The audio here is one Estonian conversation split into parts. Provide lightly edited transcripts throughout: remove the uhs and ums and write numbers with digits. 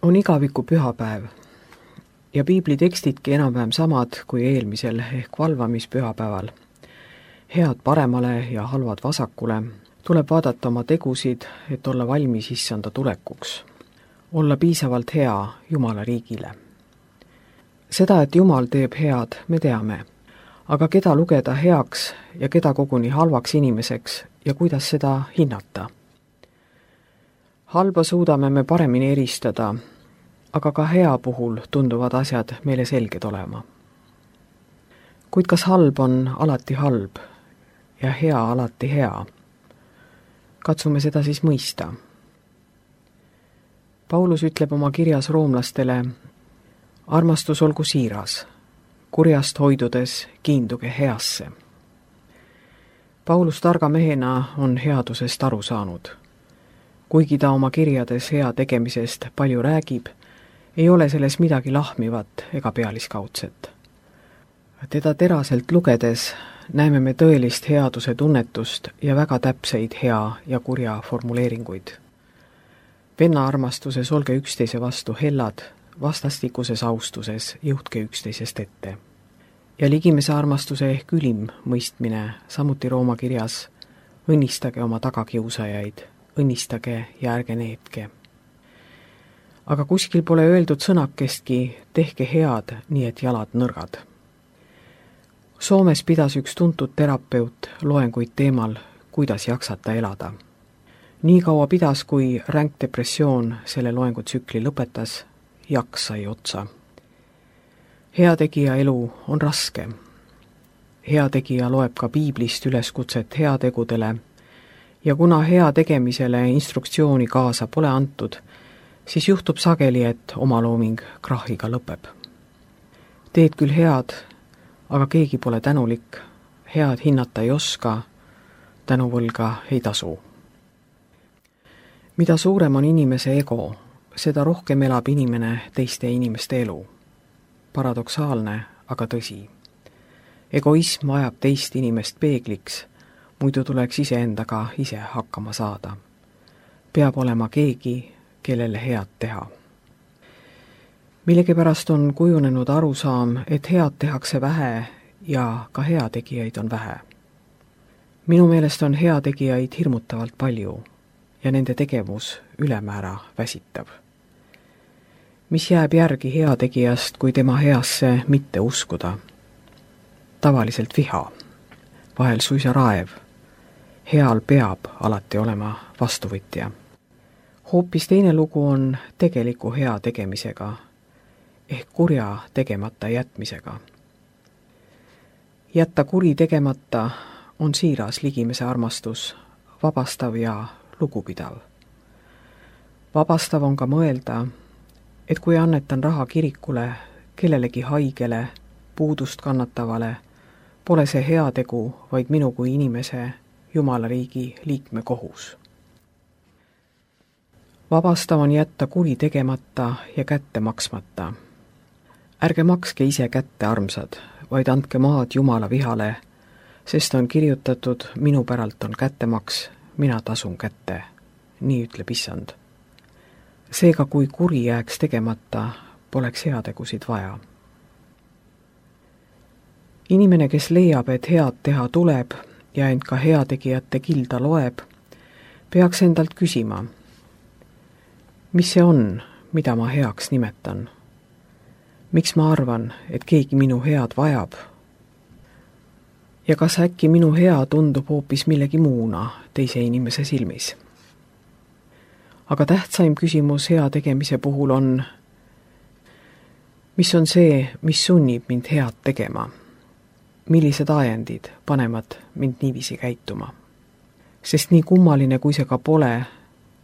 On igaviku pühapäev ja piibli tekstidki enam-vähem samad kui eelmisel ehk valvamispühapäeval. Head paremale ja halvad vasakule, tuleb vaadata oma tegusid, et olla valmis issanda tulekuks. Olla piisavalt hea Jumala riigile. Seda, et Jumal teeb head, me teame, aga keda lugeda heaks ja keda koguni halvaks inimeseks ja kuidas seda hinnata? Halba suudame me paremini eristada, aga ka hea puhul tunduvad asjad meile selged olema. Kuid kas halb on alati halb ja hea alati hea? Katsume seda siis mõista. Paulus ütleb oma kirjas roomlastele, armastus olgu siiras, kurjast hoidudes kiinduge heasse. Paulus targa mehena on headusest aru saanud. Kuigi ta oma kirjades hea tegemisest palju räägib, ei ole selles midagi lahmivat ega pealiskaudset. Teda teraselt lugedes näeme me tõelist headuse tunnetust ja väga täpseid hea ja kurja formuleeringuid. Venna armastuses olge üksteise vastu hellad, vastastikuses austuses jõudke üksteisest ette. Ja ligimese armastuse ehk ülim mõistmine, samuti Rooma kirjas, õnnistage oma tagakiusajaid, õnnistage ja ärge neetke. Aga kuskil pole öeldud sõnakestki, tehke head, nii et jalad nõrgad. Soomes pidas üks tuntud terapeut loenguid teemal, kuidas jaksata elada. Nii kaua pidas, kui ränk depressioon selle loengutsükli lõpetas, jaks sai otsa. Heategija elu on raske. Heategija loeb ka piiblist üleskutset heategudele ja kuna hea tegemisele instruktsiooni kaasa pole antud, siis juhtub sageli, et omalooming krahhiga lõpeb. Teed küll head, aga keegi pole tänulik, head hinnata ei oska, tänuvõlga ei tasu. Mida suurem on inimese ego, seda rohkem elab inimene teiste inimeste elu. Paradoksaalne, aga tõsi. Egoism ajab teist inimest peegliks, muidu tuleks iseendaga ise hakkama saada. Peab olema keegi, kellele head teha. Millegipärast on kujunenud arusaam, et head tehakse vähe ja ka heategijaid on vähe. Minu meelest on heategijaid hirmutavalt palju ja nende tegevus ülemäära väsitav. Mis jääb järgi heategijast, kui tema heasse mitte uskuda? Tavaliselt viha, vahel suisa raev. Heal peab alati olema vastuvõtja. Hoopis teine lugu on tegeliku hea tegemisega, ehk kurja tegemata jätmisega. Jätta kuri tegemata on siiras ligimese armastus, vabastav ja lugupidav. Vabastav on ka mõelda, et kui annetan raha kirikule, kellelegi haigele, puudust kannatavale, pole see heategu, vaid minu kui inimese Jumala riigi liikme kohus. Vabastav on jätta kuri tegemata ja kätte maksmata. Ärge makske ise kätte, armsad, vaid andke maad Jumala vihale, sest on kirjutatud, minu päralt on kättemaks, mina tasun kätte. Nii ütleb issand. Seega, kui kuri jääks tegemata, poleks heategusid vaja. Inimene, kes leiab, et head teha tuleb ja end ka heategijate kilda loeb, peaks endalt küsima, mis see on, mida ma heaks nimetan? Miks ma arvan, et keegi minu head vajab? Ja kas äkki minu hea tundub hoopis millegi muuna teise inimese silmis? Aga tähtsaim küsimus hea tegemise puhul on, mis on see, mis sunnib mind head tegema? Millised ajendid panevad mind niiviisi käituma? Sest nii kummaline, kui see ka pole,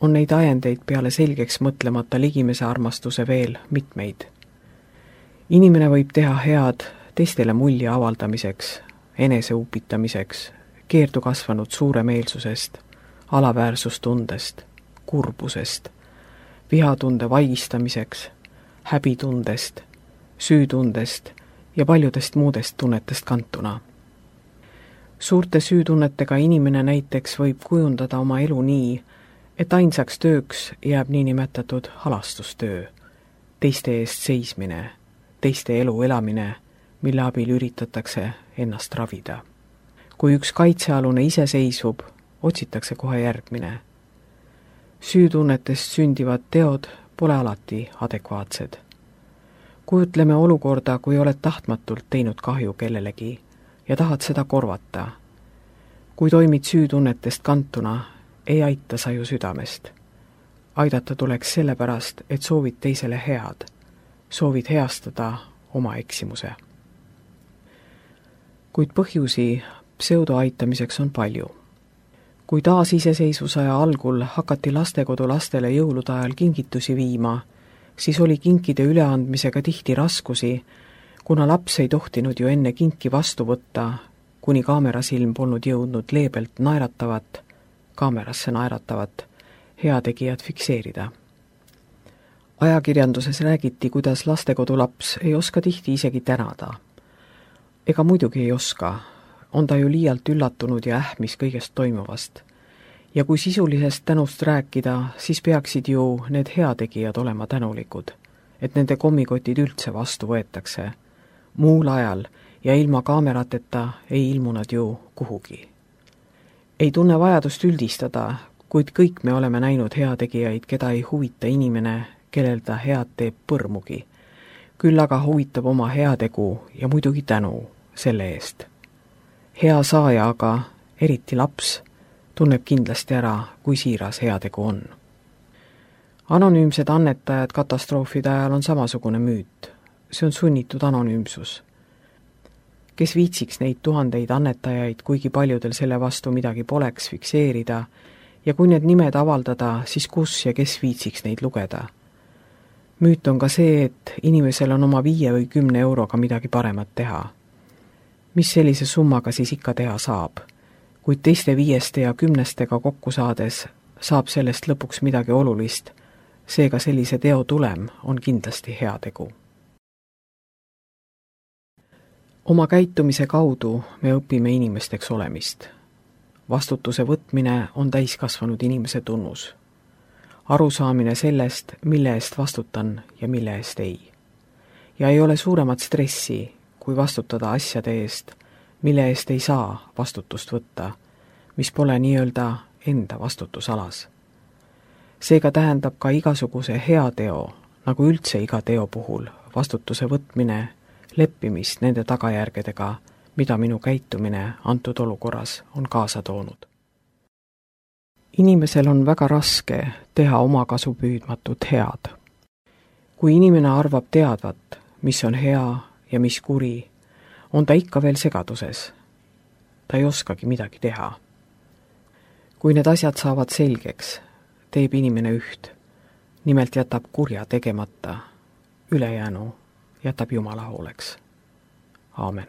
on neid ajendeid peale selgeks mõtlemata ligimese armastuse veel mitmeid. Inimene võib teha head teistele mulje avaldamiseks, eneseupitamiseks, keerdu kasvanud suuremeelsusest, alaväärsustundest, kurbusest, vihatunde vaigistamiseks, häbitundest, süütundest ja paljudest muudest tunnetest kantuna. Suurte süütunnetega inimene näiteks võib kujundada oma elu nii, et ainsaks tööks jääb niinimetatud halastustöö, teiste eest seismine, teiste elu elamine, mille abil üritatakse ennast ravida. Kui üks kaitsealune ise seisvub, otsitakse kohe järgmine. Süütunnetest sündivad teod pole alati adekvaatsed. Kujutleme olukorda, kui oled tahtmatult teinud kahju kellelegi ja tahad seda korvata. Kui toimid süütunnetest kantuna, ei aita sa ju südamest. Aidata tuleks sellepärast, et soovid teisele head, soovid heastada oma eksimuse. Kuid põhjusi pseudoaitamiseks on palju. Kui taasiseseisvusaja algul hakati lastekodu lastele jõulude ajal kingitusi viima, siis oli kinkide üleandmisega tihti raskusi, kuna laps ei tohtinud ju enne kinki vastu võtta, kuni kaamerasilm polnud jõudnud leebelt kaamerasse naeratavat heategijat fikseerida. Ajakirjanduses räägiti, kuidas lastekodu laps ei oska tihti isegi tänada. Ega muidugi ei oska, on ta ju liialt üllatunud ja ähmis kõigest toimuvast. Ja kui sisulisest tänust rääkida, siis peaksid ju need heategijad olema tänulikud, et nende kommikotid üldse vastu võetakse. Muul ajal ja ilma kaamerateta ei ilmu nad ju kuhugi. Ei tunne vajadust üldistada, kuid kõik me oleme näinud heategijaid, keda ei huvita inimene, kellel ta head teeb põrmugi. Küll aga huvitab oma heategu ja muidugi tänu selle eest. Hea saaja aga, eriti laps, tunneb kindlasti ära, kui siiras heategu on. Anonüümsed annetajad katastroofide ajal on samasugune müüt. See on sunnitud anonüümsus. Kes viitsiks neid tuhandeid annetajaid, kuigi paljudel selle vastu midagi poleks fikseerida, ja kui need nimed avaldada, siis kus ja kes viitsiks neid lugeda? Müüt on ka see, et inimesel on oma 5 või 10 euroga midagi paremat teha. Mis sellise summaga siis ikka teha saab? Kuid teiste 5 ja 10 kokku saades saab sellest lõpuks midagi olulist, seega sellise teo tulem on kindlasti heategu. Oma käitumise kaudu me õpime inimesteks olemist. Vastutuse võtmine on täiskasvanud inimese tunnus. Arusaamine sellest, mille eest vastutan ja mille eest ei. Ja ei ole suuremat stressi, kui vastutada asjade eest, mille eest ei saa vastutust võtta, mis pole nii-öelda enda vastutusalas. Seega tähendab ka igasuguse hea teo, nagu üldse iga teo puhul, vastutuse võtmine, leppimist nende tagajärgedega, mida minu käitumine antud olukorras on kaasa toonud. Inimesel on väga raske teha oma kasu püüdmatut head. Kui inimene arvab teadvat, mis on hea ja mis kuri, on ta ikka veel segaduses. Ta ei oskagi midagi teha. Kui need asjad saavad selgeks, teeb inimene üht. Nimelt jätab kurja tegemata, ülejäänu jätab Jumala hooleks. Aamen.